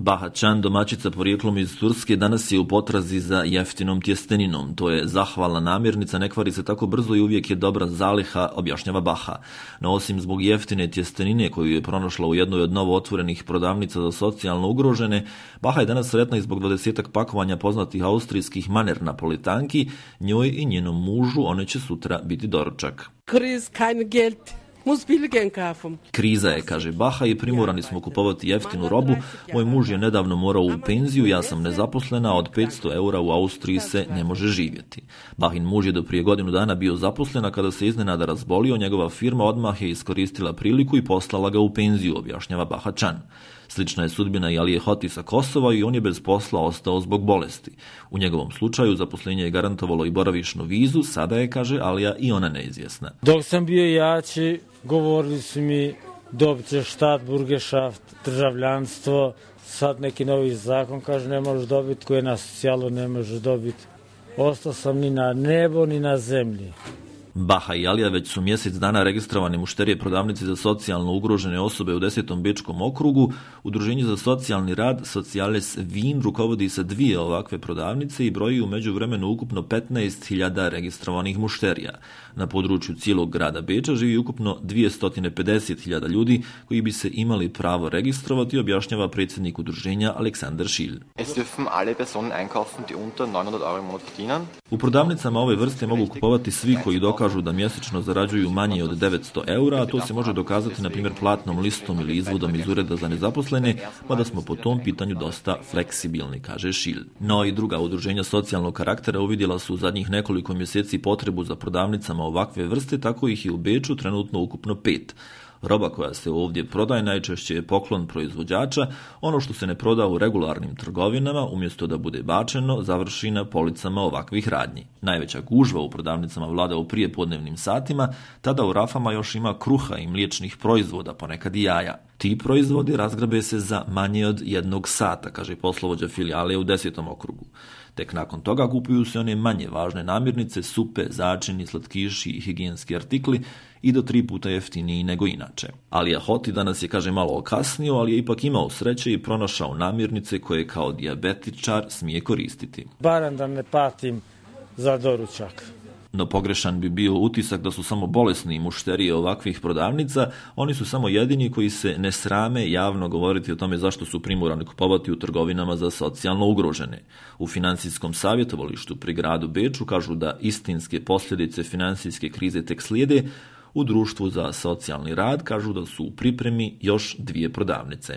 Baha Can, domaćica porijeklom iz Turske, danas je u potrazi za jeftinom tjesteninom. To je zahvalna namirnica, ne kvari se tako brzo i uvijek je dobra zaliha, objašnjava Baha. No osim zbog jeftine tjestenine koju je pronašla u jednoj od novo otvorenih prodavnica za socijalno ugrožene, Baha je danas sretna i zbog 20 pakovanja poznatih austrijskih maner napolitanki. Njoj i njenom mužu one će sutra biti doručak. Kriza je, kaže Baha, i primorani smo kupovati jeftinu robu. Moj muž je nedavno morao u penziju, ja sam nezaposlena, a od 500 eura u Austriji se ne može živjeti. Bahin muž je do prije godinu dana bio zaposlen, a kada se iznenada razbolio, njegova firma odmah je iskoristila priliku i poslala ga u penziju, objašnjava Baha Can. Slična je sudbina i Alije Hoti sa Kosova i on je bez posla ostao zbog bolesti. U njegovom slučaju zaposlenje je garantovalo i boravišnu vizu, sada je, kaže Alija, i ona neizvjesna. Dok sam bio jači, govorili su mi dobit ćeš Staatsbürgerschaft, državljanstvo, sad neki novi zakon kaže ne možeš dobiti, koje na socijalu ne možeš dobiti. Ostao sam ni na nebo ni na zemlji. Baha i Alija već su mjesec dana registrovani mušterije prodavnici za socijalno ugrožene osobe u 10. bečkom okrugu. Udruženje za socijalni rad Sociales Wien rukovodi sa 2 ovakve prodavnice i broji u međuvremenu ukupno 15.000 registrovanih mušterija. Na području cijelog grada Beča živi ukupno 250.000 ljudi koji bi se imali pravo registrovati, objašnjava predsjednik udruženja Aleksandar Šilj. U prodavnicama ove vrste mogu kupovati svi koji dokažu da mjesečno zarađuju manje od 900 eura, a to se može dokazati na primjer platnom listom ili izvodom iz ureda za nezaposlene, mada smo po tom pitanju dosta fleksibilni, kaže Šilj. No i druga udruženja socijalnog karaktera uvidjela su u zadnjih nekoliko mjeseci potrebu za prodavnicama ovakve vrste, tako ih je u Beču trenutno ukupno 5. Roba koja se ovdje prodaje najčešće je poklon proizvođača, ono što se ne proda u regularnim trgovinama, umjesto da bude bačeno, završi na policama ovakvih radnji. Najveća gužva u prodavnicama vlada u prijepodnevnim satima, tada u rafama još ima kruha i mliječnih proizvoda, ponekad i jaja. Ti proizvodi razgrabe se za manje od 1 sata, kaže poslovođa filijale u 10. okrugu. Tek nakon toga kupuju se one manje važne namirnice, supe, začini, slatkiši i higijenski artikli i do 3 puta jeftiniji nego inače. Alija Hoti danas je, kaže, malo okasnio, ali je ipak imao sreće i pronašao namirnice koje kao dijabetičar smije koristiti. Barem da ne patim za doručak. No pogrešan bi bio utisak da su samo bolesni mušterije ovakvih prodavnica, oni su samo jedini koji se ne srame javno govoriti o tome zašto su primorani kupovati u trgovinama za socijalno ugrožene. U financijskom savjetovalištu pri gradu Beču kažu da istinske posljedice financijske krize tek slijede. U društvu za socijalni rad kažu da su u pripremi još 2 prodavnice.